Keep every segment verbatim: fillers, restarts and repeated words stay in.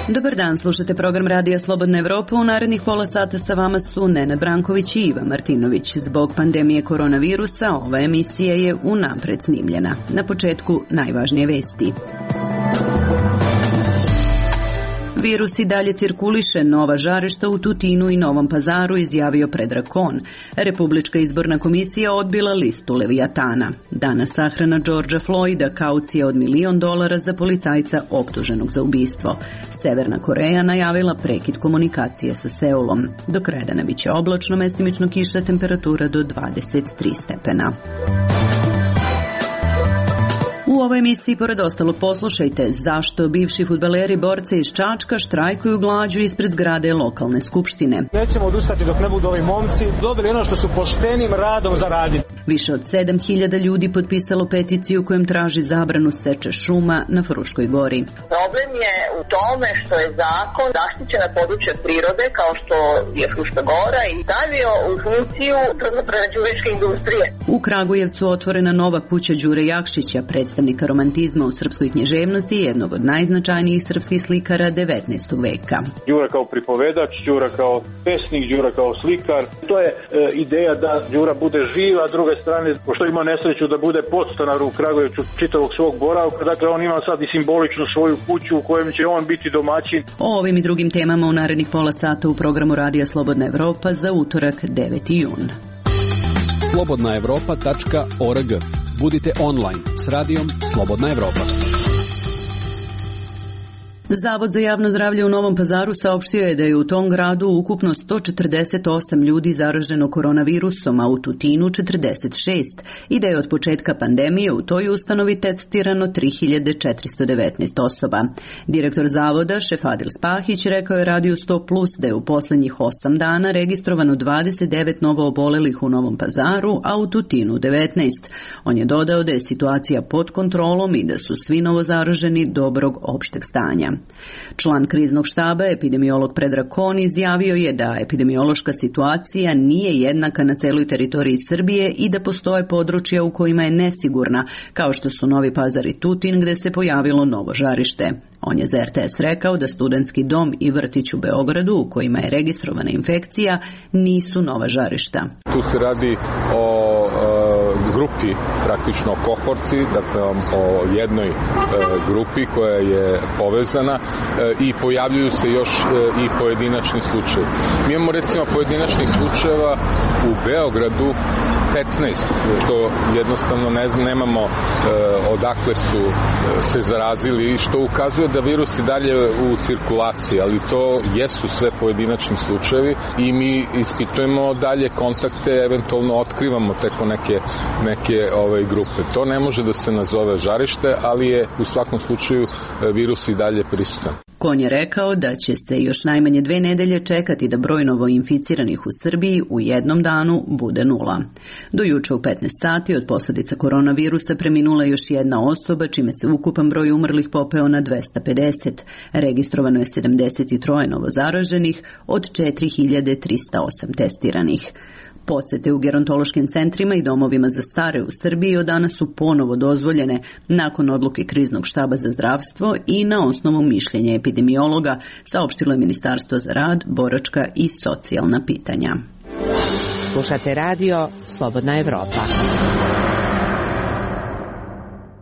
Dobar dan, slušate program Radija Slobodna Evropa. U narednih pola sata sa vama su Nenad Branković i Iva Martinović. Zbog pandemije koronavirusa ova emisija je unapred snimljena. Na početku najvažnije vesti. Virus i dalje cirkuliše, nova žarišta u Tutinu i Novom Pazaru, izjavio Predrag Kon. Republička izborna komisija odbila listu Levijatana. Danas sahrana Georgea Floyda, kaucija od milion dolara za policajca optuženog za ubistvo. Severna Koreja najavila prekid komunikacije sa Seulom. Do kraja dana biće oblačno, mestimično kiša, temperatura do dvadeset tri stepena. U ovoj emisiji, pored ostalog, poslušajte zašto bivši fudbaleri borce iz Čačka štrajkuju glađu ispred zgrade lokalne skupštine. Nećemo odustati dok ne budu ovi momci dobili ono što su poštenim radom zaradili. Više od sedam hiljada ljudi potpisalo peticiju kojom traži zabranu seče šuma na Fruškoj gori. Problem je u tome što je zakon zaštićena područja prirode kao što je Fruška gora i stavio u funkciju drvno-prerađivačke industrije. U Kragujevcu otvorena nova kuća Đure Jakšića, predstavnika romantizma u srpskoj književnosti i jednog od najznačajnijih srpskih slikara devetnaestog veka. Đura kao pripovedač, Đura kao pesnik, Đura kao slikar. To je e, ideja da Đura bude živ, a s druge strane, pošto ima nesreću da bude podstanar u Kragujevcu čitavog svog boravka, dakle on ima sad i simboličnu svoju kuću u kojem će on biti domaćin. O ovim i drugim temama u narednih pola sata u programu Radija Slobodna Evropa za utorak deveti jun. slobodna evropa tačka org. Budite online s radijom Slobodna Evropa. Zavod za javno zdravlje u Novom Pazaru saopštio je da je u tom gradu ukupno sto četrdeset osam ljudi zaraženo koronavirusom, a u Tutinu četrdeset šest i da je od početka pandemije u toj ustanovi testirano tri hiljade četiristo devetnaest osoba. Direktor zavoda, Šefadil Spahić, rekao je Radiju sto plus da je u poslednjih osam dana registrovano dvadeset devet novo obolelih u Novom Pazaru, a u Tutinu devetnaest. On je dodao da je situacija pod kontrolom i da su svi novozaraženi dobrog opšteg stanja. Član kriznog štaba, epidemiolog Predrag Kon, izjavio je da epidemiološka situacija nije jednaka na celoj teritoriji Srbije i da postoje područja u kojima je nesigurna, kao što su Novi Pazar i Tutin, gde se pojavilo novo žarište. On je za R T S rekao da studentski dom i vrtić u Beogradu, u kojima je registrovana infekcija, nisu nova žarišta. Tu se radi o e, grupi, praktično o kohorci, dakle o jednoj e, grupi koja je povezana e, i pojavljuju se još e, i pojedinačni slučajevi. Mi imamo recimo pojedinačnih slučajeva u Beogradu petnaest, što jednostavno ne znam, nemamo e, odakle su e, se zarazili, što ukazuje da virus je dalje u cirkulaciji, ali to jesu sve pojedinačni slučajevi i mi ispitujemo dalje kontakte, eventualno otkrivamo teko neke, neke ove grupe. To ne može da se nazove žarište, ali je u svakom slučaju virus i dalje prisutan. Kon je rekao da će se još najmanje dve nedelje čekati da broj novoinficiranih u Srbiji u jednom danu bude nula. Do juče u petnaest sati od posljedica koronavirusa preminula još jedna osoba, čime se ukupan broj umrlih popeo na dvesta pedeset. Registrovano je sedamdeset tri novozaraženih od četiri hiljade trista osam testiranih. Posete u gerontološkim centrima i domovima za stare u Srbiji od danas su ponovo dozvoljene nakon odluke kriznog štaba za zdravstvo i na osnovu mišljenja epidemiologa, saopštilo je Ministarstvo za rad, boračka i socijalna pitanja. Slušate radio Slobodna Evropa.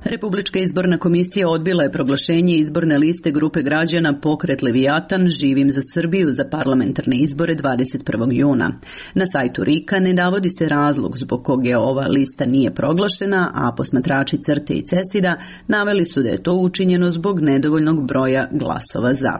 Republička izborna komisija odbila je proglašenje izborne liste grupe građana Pokret Levijatan živim za Srbiju za parlamentarne izbore dvadeset prvog juna. Na sajtu R I K-a ne navodi se razlog zbog kog je ova lista nije proglašena, a posmatrači CRTE i CESID-a naveli su da je to učinjeno zbog nedovoljnog broja glasova za.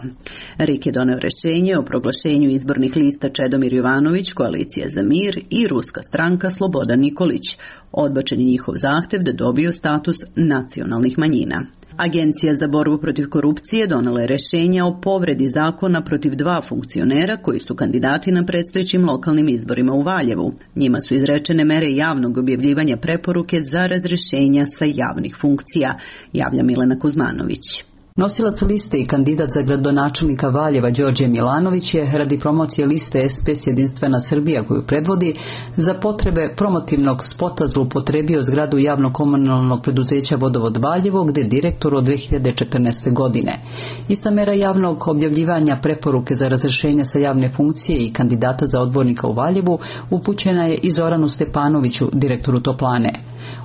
R I K je doneo rešenje o proglašenju izbornih lista Čedomir Jovanović, Koalicija za mir i Ruska stranka Slobodan Nikolić. Odbačen je njihov zahtev da dobiju status nacionalnih manjina. Agencija za borbu protiv korupcije donela je rešenja o povredi zakona protiv dva funkcionera koji su kandidati na predstojećim lokalnim izborima u Valjevu. Njima su izrečene mere javnog objavljivanja preporuke za razrešenja sa javnih funkcija, javlja Milena Kuzmanović. Nosilac liste i kandidat za gradonačelnika Valjeva Đorđe Milanović je radi promocije liste S P S Jedinstvena Srbija koju predvodi za potrebe promotivnog spota zloupotrebio zgradu javno-komunalnog preduzeća Vodovod Valjevo gde je direktor od dve hiljade četrnaeste. godine. Ista mera javnog objavljivanja preporuke za razrešenje sa javne funkcije i kandidata za odbornika u Valjevu upućena je i Zoranu Stepanoviću, direktoru Toplane.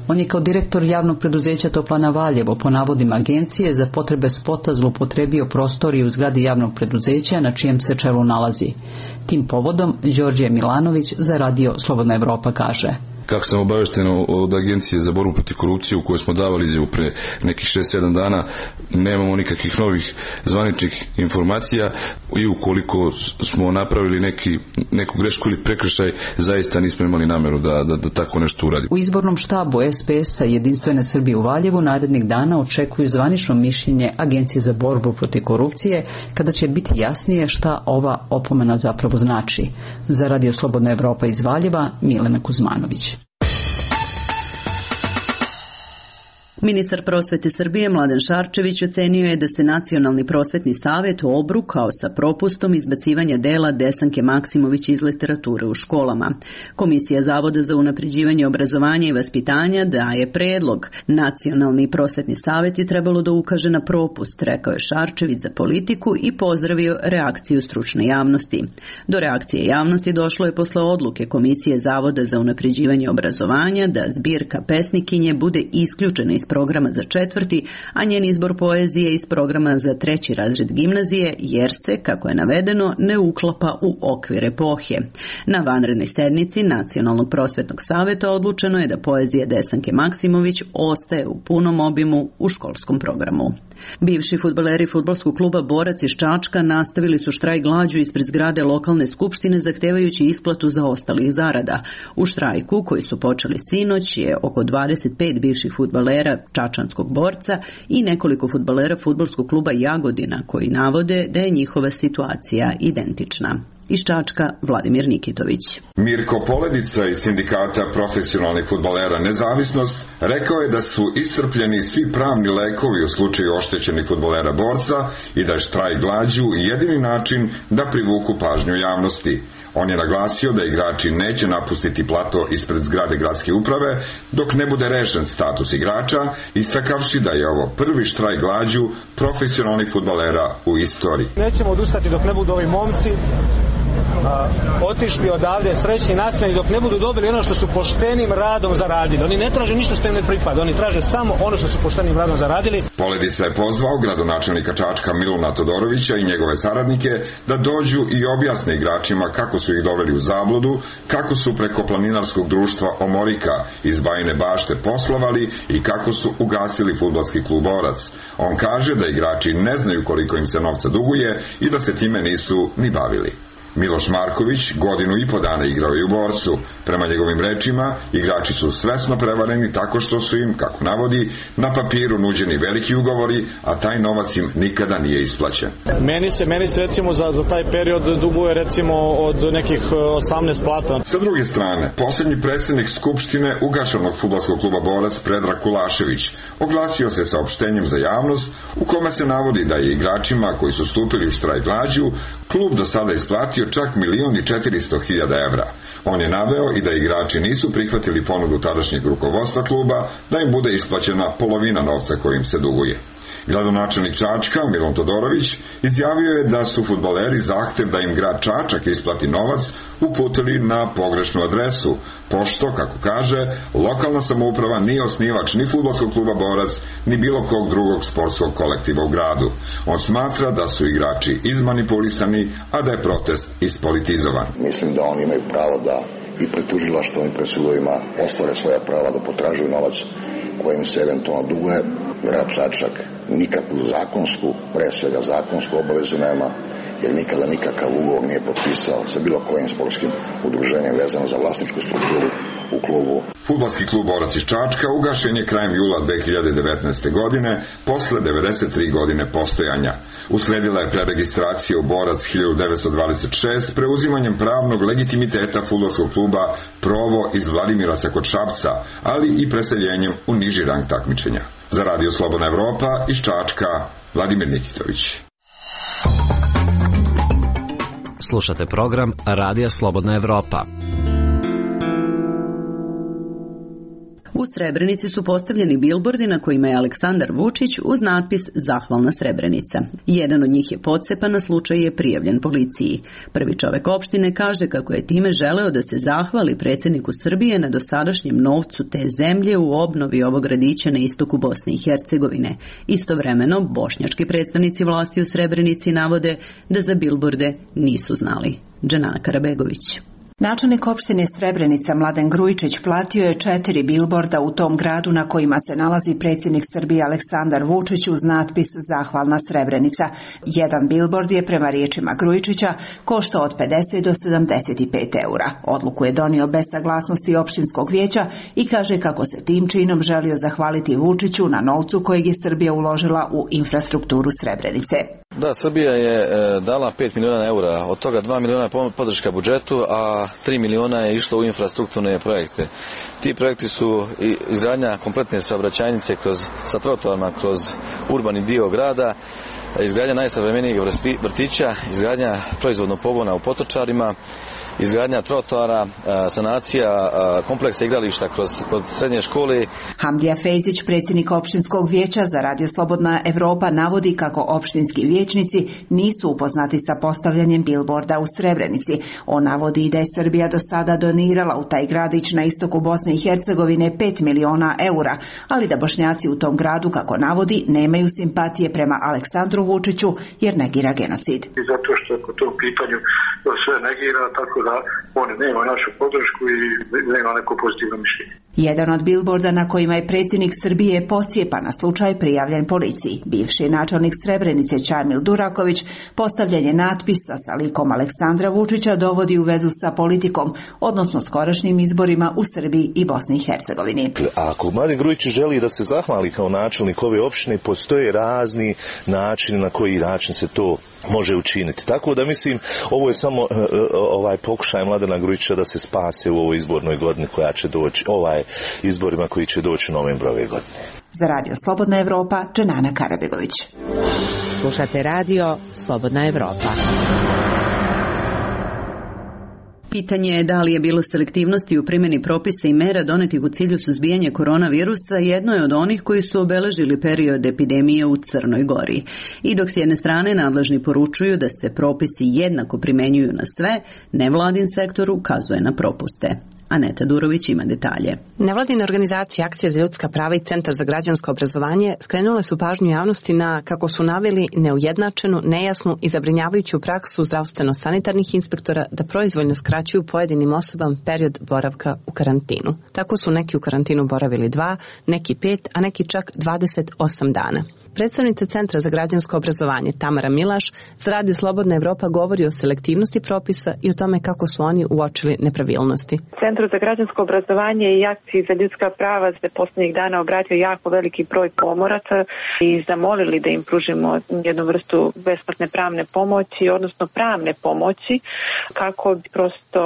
On je kao direktor javnog preduzeća Toplana Valjevo po navodima agencije za potrebe spota zloupotrebio prostoriju u zgradi javnog preduzeća na čijem se čelu nalazi. Tim povodom Đorđe Milanović za radio Slobodna Evropa kaže: Kako sam obavešten od Agencije za borbu protiv korupcije u kojoj smo davali izjavu pre nekih šest sedam dana, nemamo nikakvih novih zvaničnih informacija i ukoliko smo napravili neki, neku grešku ili prekršaj, zaista nismo imali nameru da, da, da tako nešto uradimo. U izbornom štabu S P S-a Jedinstvene Srbije u Valjevu narednih dana očekuju zvanično mišljenje Agencije za borbu protiv korupcije kada će biti jasnije šta ova opomena zapravo znači. Za radio Slobodna Evropa iz Valjeva, Milena Kuzmanović. Ministar prosvete Srbije Mladen Šarčević ocenio je da se Nacionalni prosvetni savet obrukao sa propustom izbacivanja dela Desanke Maksimović iz literature u školama. Komisija Zavoda za unapređivanje obrazovanja i vaspitanja daje predlog. Nacionalni prosvetni savet je trebalo da ukaže na propust, rekao je Šarčević za Politiku i pozdravio reakciju stručne javnosti. Do reakcije javnosti došlo je posle odluke Komisije Zavoda za unapređivanje obrazovanja da zbirka pesnikinje bude isključena iz programa za četvrti, a njen izbor poezije iz programa za treći razred gimnazije, jer se, kako je navedeno, ne uklapa u okvir epohe. Na vanrednoj sednici Nacionalnog prosvetnog saveta odlučeno je da poezija Desanke Maksimović ostaje u punom obimu u školskom programu. Bivši fudbaleri fudbalskog kluba Borac iz Čačka nastavili su štrajk glađu ispred zgrade lokalne skupštine zahtevajući isplatu zaostalih zarada. U štrajku, koji su počeli sinoć, je oko dvadeset pet bivših fudbalera čačanskog Borca i nekoliko fudbalera fudbalskog kluba Jagodina koji navode da je njihova situacija identična. Iz Čačka, Vladimir Nikitović. Mirko Poledica iz sindikata profesionalnih fudbalera Nezavisnost rekao je da su iscrpljeni svi pravni lekovi u slučaju oštećenih fudbalera Borca i da je štrajk glađu jedini način da privuku pažnju javnosti. On je naglasio da igrači neće napustiti plato ispred zgrade gradske uprave dok ne bude rešen status igrača, istakavši da je ovo prvi štrajk glađu profesionalnih fudbalera u istoriji. Nećemo odustati dok ne budu ovi momci a, otišli odavde srećni nacionalni, dok ne budu dobili ono što su poštenim radom zaradili. Oni ne traže ništa što im ne pripada, oni traže samo ono što su poštenim radom zaradili. Poledica je pozvao gradonačelnika Čačka Miluna Todorovića i njegove saradnike da dođu i objasne igračima kako su ih doveli u zabludu, kako su preko planinarskog društva Omorika iz Bajine Bašte poslovali i kako su ugasili fudbalski klub Borac. On kaže da igrači ne znaju koliko im se novca duguje i da se time nisu ni bavili. Miloš Marković godinu i po dana igrao i u Borcu. Prema njegovim rečima, igrači su svesno prevareni tako što su im, kako navodi, na papiru nuđeni veliki ugovori, a taj novac im nikada nije isplaćen. Meni se, meni se recimo za, za taj period duguje recimo od nekih osamnaest plata. Sa druge strane, posljednji predsjednik Skupštine ugašanog fudbalskog kluba Borac Predrag Kulašević oglasio se saopštenjem za javnost u kome se navodi da je igračima koji su stupili u štrajk glađu klub do sada isplatio čak milion i četiristo hiljada evra. On je naveo i da igrači nisu prihvatili ponudu tadašnjeg rukovodstva kluba da im bude isplaćena polovina novca kojim se duguje. Gradonačelnik Čačka Milun Todorović izjavio je da su fudbaleri zahtev da im grad Čačak isplati novac uputili na pogrešnu adresu, pošto, kako kaže, lokalna samouprava nije osnivač ni fudbalskog kluba Borac, ni bilo kog drugog sportskog kolektiva u gradu. On smatra da su igrači izmanipulisani, a da je protest ispolitizovan. Mislim da oni imaju pravo da i pred tužilaštvom i pred sudovima ostvare svoja prava da potražuju novac kojim se eventualno duguje. Grad Čačak nikakvu zakonsku, pre svega zakonsku obavezu nema, jer nikada nikakav ugovor nije potpisao sa bilo kojim sportskim udruženjem vezano za vlasničku strukturu u klubu. Fudbalski klub Borac iz Čačka ugašen je krajem jula dve hiljade devetnaeste. godine, posle devedeset tri godine postojanja. Usledila je preregistracija u Borac hiljadu devetsto dvadeset šeste preuzimanjem pravnog legitimiteta fudbalskog kluba Provo iz Vladimiraca kod Šapca, ali i preseljenjem u niži rang takmičenja. Za radio Slobodna Evropa iz Čačka, Vladimir Nikitović. Slušate program Radija Slobodna Evropa. U Srebrenici su postavljeni bilbordi na kojima je Aleksandar Vučić uz natpis Zahvalna Srebrenica. Jedan od njih je pocepan, na slučaj je prijavljen policiji. Prvi čovek opštine kaže kako je time želeo da se zahvali predsjedniku Srbije na dosadašnjem novcu te zemlje u obnovi ovog gradića na istoku Bosne i Hercegovine. Istovremeno, bošnjački predstavnici vlasti u Srebrenici navode da za bilborde nisu znali. Dženana Karabegović. Načelnik opštine Srebrenica Mladen Grujičić platio je četiri bilborda u tom gradu na kojima se nalazi predsjednik Srbije Aleksandar Vučić uz natpis Zahvalna Srebrenica. Jedan bilbord je prema riječima Grujičića koštao od pedeset do sedamdeset pet eura. Odluku je donio bez saglasnosti opštinskog vijeća i kaže kako se tim činom želio zahvaliti Vučiću na novcu kojeg je Srbija uložila u infrastrukturu Srebrenice. Da, Srbija je e, dala pet miliona eura, od toga dva miliona je podrška budžetu, a tri miliona je išlo u infrastrukturne projekte. Ti projekti su izgradnja kompletne saobraćajnice kroz, sa trotoarima kroz urbani dio grada, izgradnja najsavremenijeg vrtića, izgradnja proizvodnog pogona u Potočarima, izgradnja trotoara, sanacija kompleksa igrališta kroz kod srednje škole. Hamdija Fejzić, predsjednik opštinskog vijeća za Radio Slobodna Evropa, navodi kako opštinski vijećnici nisu upoznati sa postavljanjem bilborda u Srebrenici. On navodi da je Srbija do sada donirala u taj gradić na istoku Bosne i Hercegovine pet miliona eura, ali da Bošnjaci u tom gradu, kako navodi, nemaju simpatije prema Aleksandru Vučiću jer negira genocid. I zato što po tom pitanju sve negira, tako da on nema našu podršku i nema neko pozitivno mišljenje. Jedan od bilborda na kojima je predsjednik Srbije pocijepan na slučaj prijavljen policiji. Bivši načelnik Srebrenice Čamil Duraković postavljen je natpisa sa likom Aleksandra Vučića dovodi u vezu sa politikom, odnosno skorašnjim izborima u Srbiji i Bosni i Hercegovini. Ako Mladen Grujičić želi da se zahvali kao načelnik ove opštine, postoje razni načini na koji način se to može učiniti. Tako da mislim, ovo je samo uh, ovaj pokušaj Mladena Grujića da se spase u ovoj izbornoj godini koja će doći, ovaj izborima koji će doći u novembru ove godine. Za Radio Slobodna Evropa, Dženana Karabegović. Slušate Radio Slobodna Evropa. Pitanje je da li je bilo selektivnosti u primjeni propisa i mera donetih u cilju suzbijanja koronavirusa jedno je od onih koji su obeležili period epidemije u Crnoj Gori. I dok s jedne strane nadležni poručuju da se propisi jednako primenjuju na sve, nevladin sektor ukazuje na propuste. Aneta Durović ima detalje. Nevladine organizacije Akcija za ljudska prava i Centar za građansko obrazovanje skrenule su pažnju javnosti na, kako su naveli, neujednačenu, nejasnu i zabrinjavajuću praksu zdravstveno-sanitarnih inspektora da proizvoljno skraćuju pojedinim osobama period boravka u karantinu. Tako su neki u karantinu boravili dva, neki pet, a neki čak dvadeset osam dana. Predstavnica Centra za građansko obrazovanje Tamara Milaš za Radio Slobodna Evropa govori o selektivnosti propisa i o tome kako su oni uočili nepravilnosti. Centru za građansko obrazovanje i Akciji za ljudska prava se posljednjih dana obratio jako veliki broj pomoraca i zamolili da im pružimo jednu vrstu besplatne pravne pomoći, odnosno pravne pomoći kako bi prosto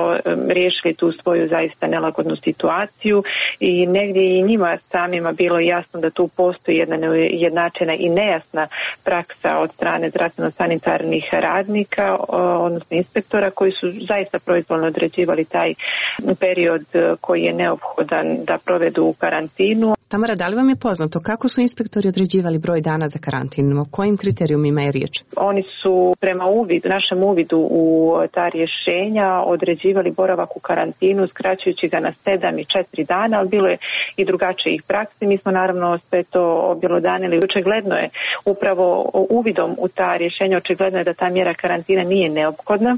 riješili tu svoju zaista nelagodnu situaciju i negdje i njima samima bilo jasno da tu postoji jedna nejednačena i nejasna praksa od strane zdravstveno-sanitarnih radnika, odnosno inspektora, koji su zaista proizvoljno određivali taj period koji je neophodan da provedu u karantinu. Tamara, da li vam je poznato kako su inspektori određivali broj dana za karantin? O kojim kriterijumima je riječ? Oni su prema uvidu, našem uvidu u ta rješenja određivali boravak u karantinu, skraćujući ga na sedam i četiri dana, ali bilo je i drugačijih praksi. Mi smo naravno sve to objelodanili. Očigledno je upravo uvidom u ta rješenja, očigledno je da ta mjera karantina nije neophodna,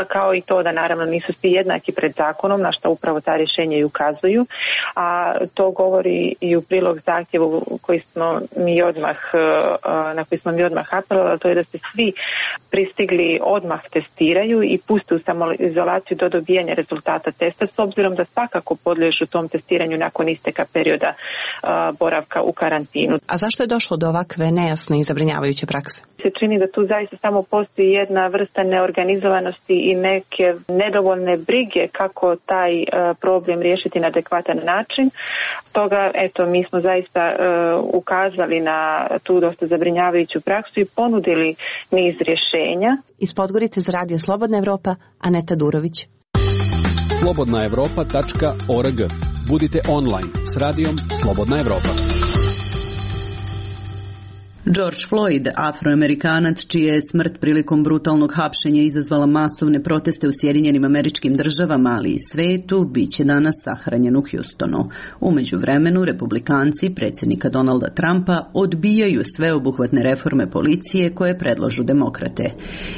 kao i to da naravno nisu svi jednaki pred zakonom, na što upravo ta rješenja i ukazuju, a to govori i u prilog zahtjevu koji smo mi odmah, na koji smo mi odmah apelovali, to je da se svi pristigli odmah testiraju i puste u samoizolaciju do dobijanja rezultata testa, s obzirom da svakako podliježu tom testiranju nakon isteka perioda boravka u karantinu. A zašto je došlo do ovakve nejasne i zabrinjavajuće prakse? Se čini da tu zaista samo postoji jedna vrsta neorganizovanosti i neke nedovoljne brige kako taj problem riješiti na adekvatan način. Stoga, eto, mi smo zaista uh, ukazali na tu dosta zabrinjavajuću praksu i ponudili niz rješenja. Iz Podgorice za Radio Slobodna Evropa, Aneta Durović. slobodna evropa tačka org. Budite online s radijom Slobodna Evropa. George Floyd, afroamerikanac čija je smrt prilikom brutalnog hapšenja izazvala masovne proteste u Sjedinjenim Američkim Državama, ali i svetu, bit će danas sahranjen u Houstonu. U međuvremenu, republikanci predsjednika Donalda Trumpa odbijaju sveobuhvatne reforme policije koje predlažu demokrate.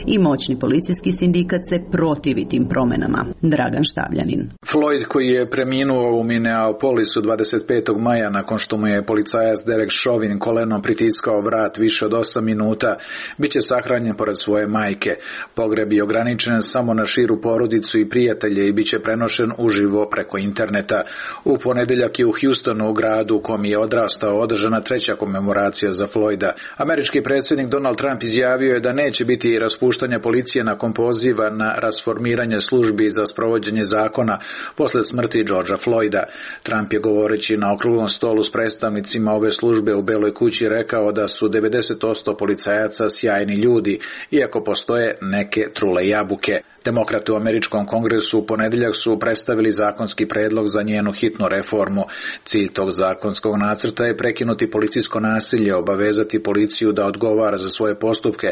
I moćni policijski sindikat se protivi tim promenama. Dragan Štavljanin. Floyd, koji je preminuo u Minneapolisu dvadeset petog maja nakon što mu je policajac Derek Chauvin kolenom pritiskao vrat više od osam minuta, bit će sahranjen pored svoje majke. Pogreb je ograničen samo na širu porodicu i prijatelje i bit će prenošen uživo preko interneta. U ponedeljak je u Houstonu, u gradu u kom je odrastao, održana treća komemoracija za Floyda. Američki predsjednik Donald Trump izjavio je da neće biti raspuštanja policije nakon poziva na rasformiranje službi za sprovođenje zakona posle smrti Georgea Floyda. Trump je govoreći na okruglom stolu s predstavnicima ove službe u Beloj kući rekao da su devedeset posto policajaca sjajni ljudi, iako postoje neke trule jabuke. Demokrati u Američkom kongresu u ponedjeljak su predstavili zakonski predlog za njenu hitnu reformu. Cilj tog zakonskog nacrta je prekinuti policijsko nasilje, obavezati policiju da odgovara za svoje postupke,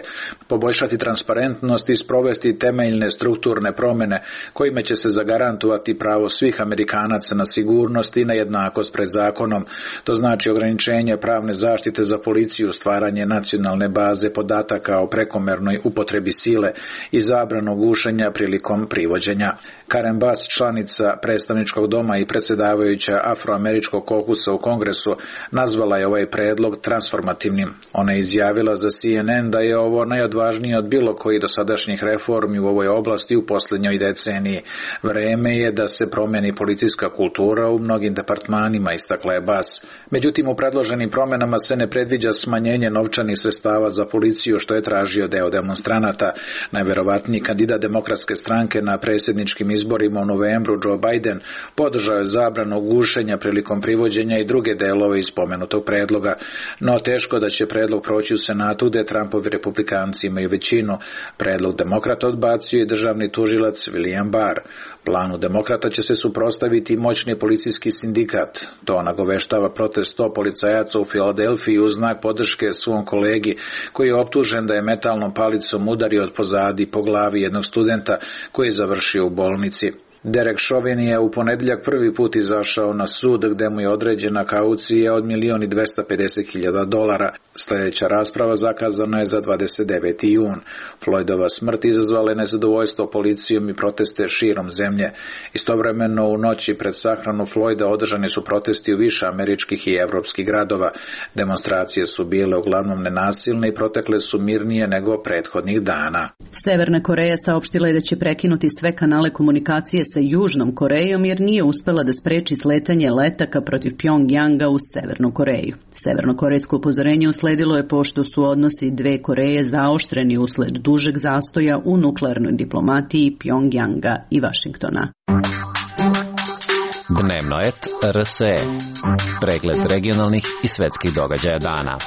poboljšati transparentnost i sprovesti temeljne strukturne promjene kojima će se zagarantovati pravo svih Amerikanaca na sigurnost i na jednakost pred zakonom. To znači ograničenje pravne zaštite za policiju, stvaranje nacionalne baze podataka o prekomernoj upotrebi sile i zabranu gušenja prilikom privođenja. Karen Bass, članica predstavničkog doma i predsjedavajuća afroameričkog kokusa u Kongresu, nazvala je ovaj predlog transformativnim. Ona je izjavila za C N N da je ovo najodvažnije od bilo koji dosadašnjih reformi u ovoj oblasti u posljednjoj deceniji. Vreme je da se promijeni policijska kultura u mnogim departmanima, istakla je Bass. Međutim, u predloženim promjenama se ne predviđa smanjenje novčanih sredstava za policiju, što je tražio deo demonstranata. Najverovatniji kandidat demokratske stranke na predsjedničkim izborima u novembru, Joe Biden, podržao je zabranu gušenja prilikom privođenja i druge delove iz spomenutog predloga. No teško da će predlog proći u Senatu, gde Trumpovi republikanci imaju većinu. Predlog demokrata odbacio je državni tužilac William Barr. Planu demokrata će se suprotstaviti moćni policijski sindikat. To nagoveštava protest sto policajaca u Filadelfiji u znak podrške svom kolegi, koji je optužen da je metalnom palicom udario od pozadi po glavi jednog studenta koji je završio u bolnici. Derek Chauvin je u ponedjeljak prvi put izašao na sud, gde mu je određena kaucija od milion i dvesta pedeset hiljada dolara. Sljedeća rasprava zakazana je za dvadeset deveti jun. Floydova smrt izazvala je nezadovoljstvo policijom i proteste širom zemlje. Istovremeno u noći pred sahranu Floyda održani su protesti u više američkih i evropskih gradova. Demonstracije su bile uglavnom nenasilne i protekle su mirnije nego prethodnih dana. Severna Koreja saopštila je da će prekinuti sve kanale komunikacije sa Južnom Korejom jer nije uspela da spreči sletanje letaka protiv Pjongjanga u Severnu Koreju. Severnokorejsko upozorenje usledilo je pošto su odnosi dve Koreje zaoštreni usled dužeg zastoja u nuklearnoj diplomatiji Pjongjanga i Vašingtona. Dnevno et R S E. Pregled regionalnih i svetskih događaja dana.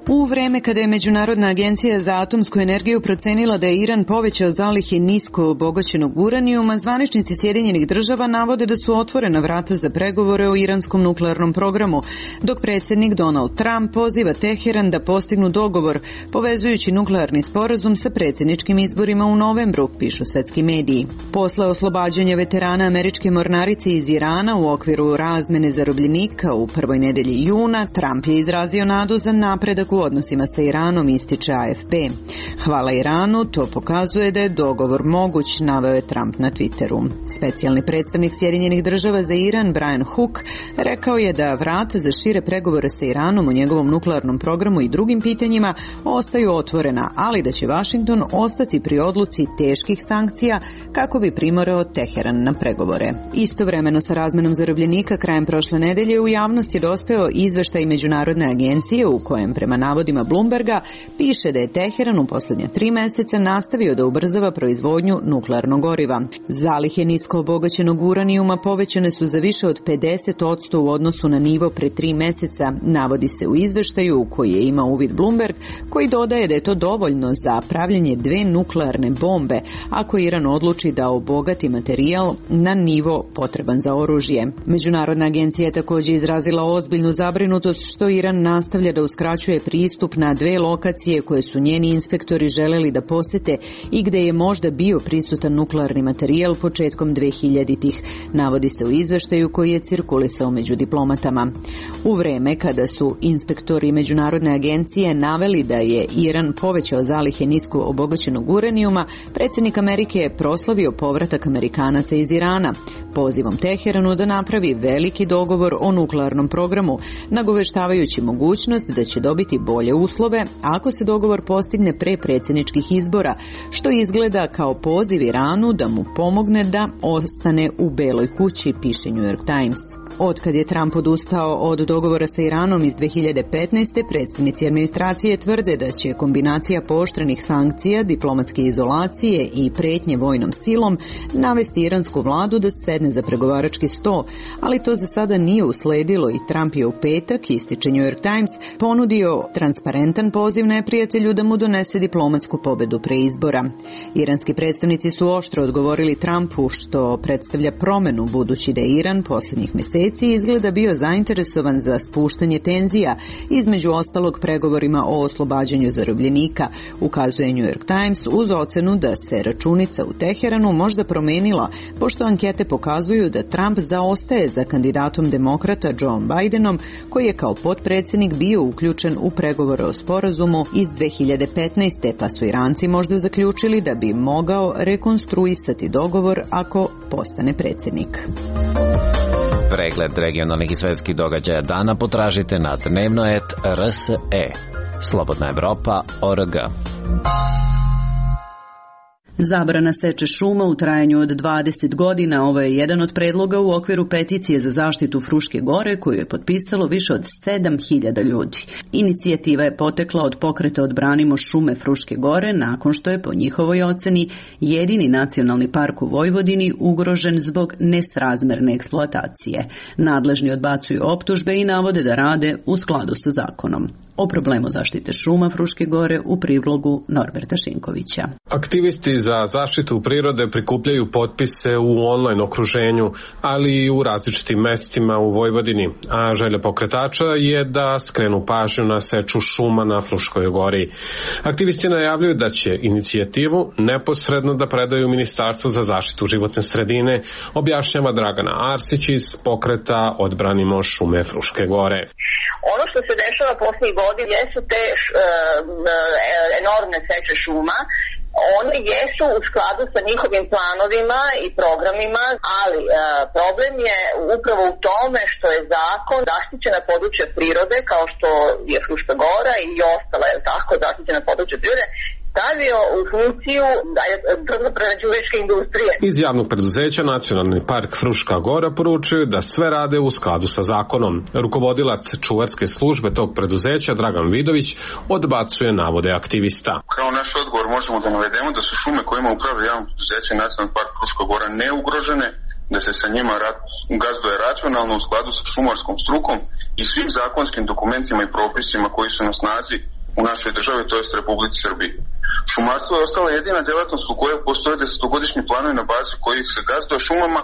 U vreme kada je Međunarodna agencija za atomsku energiju procenila da je Iran povećao zalihe nisko obogaćenog uranijuma, zvaničnici Sjedinjenih Država navode da su otvorena vrata za pregovore o iranskom nuklearnom programu, dok predsjednik Donald Trump poziva Teheran da postignu dogovor, povezujući nuklearni sporazum sa predsjedničkim izborima u novembru, pišu svetski mediji. Posle oslobađanja veterana američke mornarice iz Irana u okviru razmene zarobljenika u prvoj nedelji juna, Trump je izrazio nadu za napredak u odnosima sa Iranom, ističe A F P. Hvala Iranu, to pokazuje da je dogovor moguć, naveo je Trump na Twitteru. Specijalni predstavnik Sjedinjenih Država za Iran, Brian Hook, rekao je da vrata za šire pregovore sa Iranom o njegovom nuklearnom programu i drugim pitanjima ostaju otvorena, ali da će Washington ostati pri odluci teških sankcija kako bi primorao Teheran na pregovore. Istovremeno sa razmenom zarobljenika krajem prošle nedelje u javnost je dospeo izveštaj Međunarodne agencije u kojem prema navodima Bloomberga, piše da je Teheran u posljednja tri meseca nastavio da ubrzava proizvodnju nuklearnog goriva. Zalihe nisko obogaćenog uranijuma povećane su za više od pedeset posto u odnosu na nivo pre tri meseca, navodi se u izveštaju u koji je imao uvid Bloomberg, koji dodaje da je to dovoljno za pravljenje dve nuklearne bombe ako Iran odluči da obogati materijal na nivo potreban za oružje. Međunarodna agencija je također izrazila ozbiljnu zabrinutost što Iran nastavlja da uskraćuje pristup na dve lokacije koje su njeni inspektori želeli da posete i gde je možda bio prisutan nuklearni materijal početkom dvehiljaditih, navodi se u izveštaju koji je cirkulisao među diplomatama. U vreme kada su inspektori Međunarodne agencije naveli da je Iran povećao zalihe nisko obogaćenog uranijuma, predsjednik Amerike je proslavio povratak Amerikanaca iz Irana, pozivom Teheranu da napravi veliki dogovor o nuklearnom programu, nagoveštavajući mogućnost da će dobiti bolje uslove ako se dogovor postigne pre predsjedničkih izbora, što izgleda kao poziv Iranu da mu pomogne da ostane u Beloj kući, piše New York Times. Otkad je Trump odustao od dogovora sa Iranom iz dve hiljade petnaeste. predstavnici administracije tvrde da će kombinacija pooštrenih sankcija, diplomatske izolacije i pretnje vojnom silom navesti iransku vladu da sedne za pregovarački sto, ali to za sada nije usledilo i Trump je u petak, ističe New York Times, ponudio transparentan poziv neprijatelju da mu donese diplomatsku pobedu pre izbora. Iranski predstavnici su oštro odgovorili Trumpu, što predstavlja promenu budući da je Iran posljednjih mjeseci izgleda bio zainteresovan za spuštanje tenzija, između ostalog pregovorima o oslobađanju zarobljenika, ukazuje New York Times uz ocenu da se računica u Teheranu možda promenila, pošto ankete pokazuju da Trump zaostaje za kandidatom demokrata Joe Bidenom, koji je kao potpredsjednik bio uključen u pregovore o sporazumu iz dve hiljade petnaeste. pa su Iranci možda zaključili da bi mogao rekonstruisati dogovor ako postane predsjednik. Pregled regionalnih i svetskih događaja dana potražite na dnevnoet R S E. Slobodna Evropa O R G. Zabrana seče šuma u trajanju od dvadeset godina, ovo je jedan od predloga u okviru peticije za zaštitu Fruške gore koju je potpisalo više od sedam hiljada ljudi. Inicijativa je potekla od pokreta Odbranimo šume Fruške gore nakon što je po njihovoj oceni jedini nacionalni park u Vojvodini ugrožen zbog nesrazmerne eksploatacije. Nadležni odbacuju optužbe i navode da rade u skladu sa zakonom. O problemu zaštite šuma Fruške gore u prilogu Norberta Šinkovića. Aktivisti za zaštitu prirode prikupljaju potpise u online okruženju, ali i u različitim mestima u Vojvodini, a želja pokretača je da skrenu pažnju na seču šuma na Fruškoj gori. Aktivisti najavljuju da će inicijativu neposredno da predaju Ministarstvu za zaštitu životne sredine, objašnjava Dragana Arsić iz pokreta Odbranimo šume Fruške gore. Ono što se dešava posljednjih godina jesu te š, e, enormne seče šuma. One jesu u skladu sa njihovim planovima i programima, ali e, problem je upravo u tome što je zakon zaštićena područja prirode, kao što je Fruška gora i ostala je tako zaštićena područja prirode, stavio u funkciju drvno-prerađivačke industrije. Iz javnog preduzeća Nacionalni park Fruška gora poručuju da sve rade u skladu sa zakonom. Rukovodilac čuvarske službe tog preduzeća Dragan Vidović odbacuje navode aktivista. Kao naš odgovor možemo da navedemo da su šume kojima upravlja javno preduzeće Nacionalni park Fruška gora neugrožene, da se sa njima gazduje racionalno u skladu sa šumarskom strukom i svim zakonskim dokumentima i propisima koji su na snazi u našoj državi, to jest Republici Srbiji. Šumarstvo je ostala jedina djelatnost u kojoj postoje desetogodišnji planovi na bazi kojih se gazduje šumama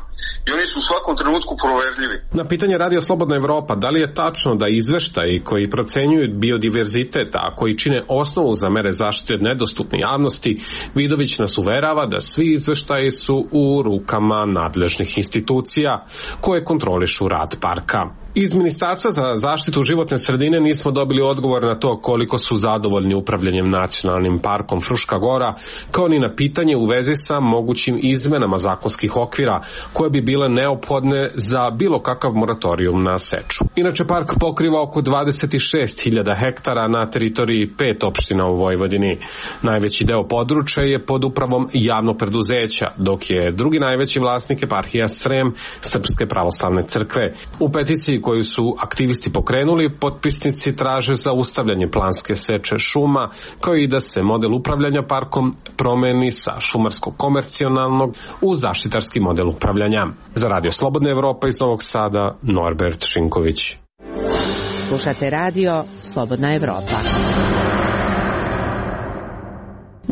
i oni su u svakom trenutku proverljivi. Na pitanje Radio Slobodna Evropa da li je tačno da izveštaji koji procenjuju biodiverzitet, a koji čine osnovu za mere zaštite nedostupne javnosti, Vidović nas uverava da svi izveštaji su u rukama nadležnih institucija koje kontrolišu rad parka. Iz Ministarstva za zaštitu životne sredine nismo dobili odgovor na to koliko su zadovoljni upravljanjem nacionalnim parkom Fruška gora, kao ni na pitanje u vezi sa mogućim izmenama zakonskih okvira koje bi bile neophodne za bilo kakav moratorijum na seču. Inače, park pokriva oko dvadeset šest hiljada hektara na teritoriji pet opština u Vojvodini. Najveći deo područja je pod upravom javnog preduzeća, dok je drugi najveći vlasnik eparhija Srem Srpske pravoslavne crkve. U peticiji peticiji koju su aktivisti pokrenuli, potpisnici traže zaustavljanje planske seče šuma, kao i da se model upravljanja parkom promeni sa šumarsko-komercionalnog u zaštitarski model upravljanja. Za Radio Slobodna Evropa iz Novog Sada, Norbert Šinković. Slušate radio Slobodna Evropa.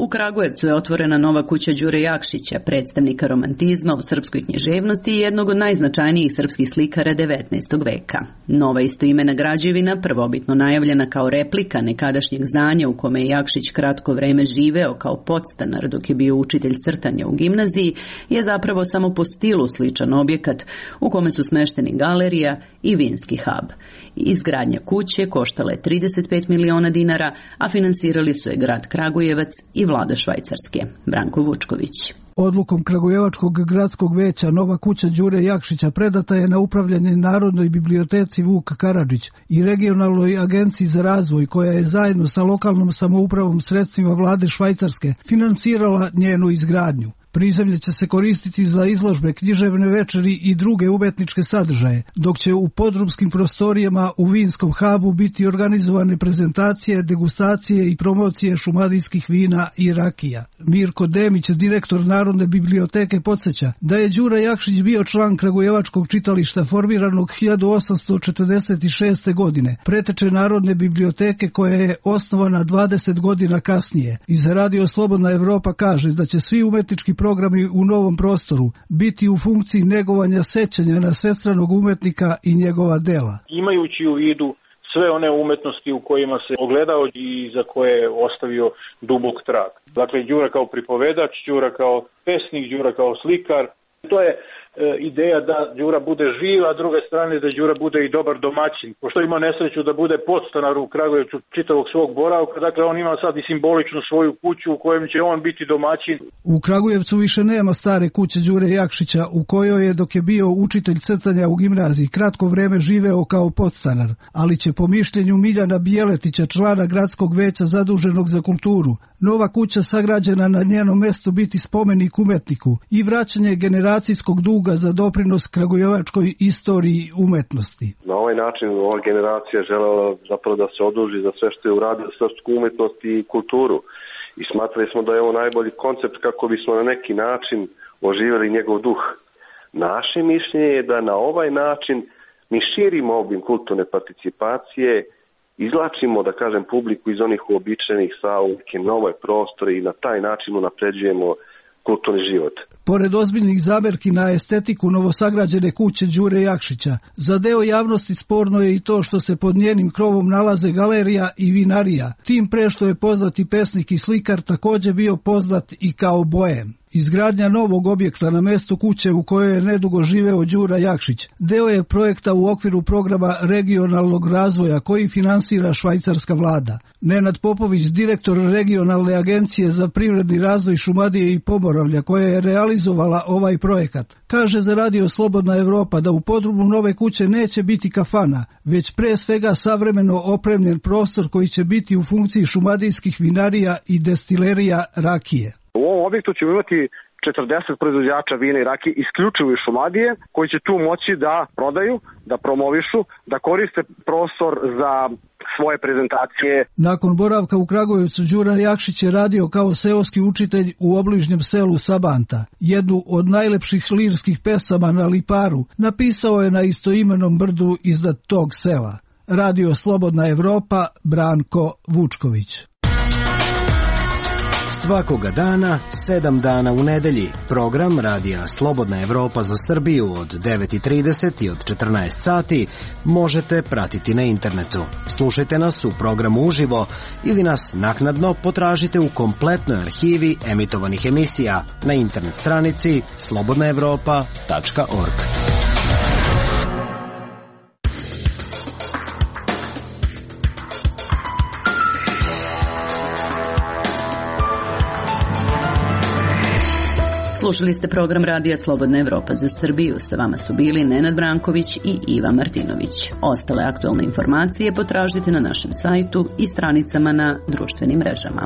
U Kragujevcu je otvorena nova kuća Đure Jakšića, predstavnika romantizma u srpskoj književnosti i jednog od najznačajnijih srpskih slikara devetnaestog veka. Nova istoimena građevina, prvobitno najavljena kao replika nekadašnjeg zdanja u kome je Jakšić kratko vreme živeo kao podstanar dok je bio učitelj crtanja u gimnaziji, je zapravo samo po stilu sličan objekat u kome su smešteni galerija i vinski hub. Izgradnja kuće koštala je trideset pet miliona dinara, a finansirali su je grad Kragujevac i vlada Švajcarske. Branko Vučković. Odlukom Kragujevačkog gradskog veća nova kuća Đure Jakšića predata je na upravljanje Narodnoj biblioteci Vuk Karadžić i Regionalnoj agenciji za razvoj, koja je zajedno sa lokalnom samoupravom sredstvima vlade Švajcarske finansirala njenu izgradnju. Prizemlje će se koristiti za izložbe, književne večeri i druge umetničke sadržaje, dok će u podrumskim prostorijama u vinskom hubu biti organizovane prezentacije, degustacije i promocije šumadijskih vina i rakija. Mirko Demić, direktor Narodne biblioteke, podsjeća da je Đura Jakšić bio član Kragujevačkog čitališta formiranog hiljadu osamsto četrdeset šeste. godine, preteče Narodne biblioteke koja je osnovana dvadeset godina kasnije. I za Radio Slobodna Evropa kaže da će svi umetnički programi u novom prostoru biti u funkciji negovanja sećanja na svestranog umetnika i njegova dela. Imajući u vidu sve one umetnosti u kojima se ogledao i za koje je ostavio dubok trag. Dakle, Đura kao pripovedač, Đura kao pesnik, Đura kao slikar. To je e, ideja da Đura bude živ, a druge strane da Đura bude i dobar domaćin. Pošto ima nesreću da bude podstanar u Kragujevcu čitavog svog boravka, dakle on ima sad i simbolično svoju kuću u kojem će on biti domaćin. U Kragujevcu više nema stare kuće Đure Jakšića, u kojoj je, dok je bio učitelj crtanja u gimnaziji, kratko vreme živeo kao podstanar, ali će po mišljenju Miljana Bijeletića, člana gradskog veća zaduženog za kulturu, nova kuća sagrađena na njenom mestu biti spomenik umetniku i vraćanje generacijskog duga za doprinos kragujevačkoj istoriji umetnosti. Na ovaj način ova generacija želela zapravo da se oduži za sve što je uradio srpsku umetnost i kulturu. I smatrali smo da je ovo najbolji koncept kako bismo na neki način oživjeli njegov duh. Naše mišljenje je da na ovaj način mi širimo obim kulturne participacije, izlačimo, da kažem, publiku iz onih uobičajenih sa u neke nove prostore i na taj način unapređujemo kulturni život. Pored ozbiljnih zamerki na estetiku novosagrađene kuće Đure Jakšića, za deo javnosti sporno je i to što se pod njenim krovom nalaze galerija i vinarija, tim pre što je poznati pesnik i slikar također bio poznat i kao boem. Izgradnja novog objekta na mestu kuće u kojoj je nedugo živeo Đura Jakšić deo je projekta u okviru programa regionalnog razvoja koji finansira švajcarska vlada. Nenad Popović, direktor regionalne agencije za privredni razvoj Šumadije i Pomoravlja, koja je realizovala ovaj projekat, kaže za Radio Slobodna Evropa da u podrumu nove kuće neće biti kafana, već pre svega savremeno opremljen prostor koji će biti u funkciji šumadijskih vinarija i destilerija rakije. U ovom objektu ćemo imati četrdeset proizvođača vina i rakije isključivo iz Šumadije, koji će tu moći da prodaju, da promovišu, da koriste prostor za svoje prezentacije. Nakon boravka u Kragujevcu, Đura Jakšić je radio kao seoski učitelj u obližnjem selu Sabanta. Jednu od najlepših lirskih pesama na Liparu napisao je na istoimenom brdu iznad tog sela. Radio Slobodna Evropa, Branko Vučković. Svakoga dana, sedam dana u nedelji, program Radija Slobodna Evropa za Srbiju od devet i trideset i od četrnaest sati možete pratiti na internetu. Slušajte nas u programu uživo ili nas naknadno potražite u kompletnoj arhivi emitovanih emisija na internet stranici slobodna evropa tačka org. Slušali ste program Radija Slobodna Evropa za Srbiju. Sa vama su bili Nenad Branković i Iva Martinović. Ostale aktualne informacije potražite na našem sajtu i stranicama na društvenim mrežama.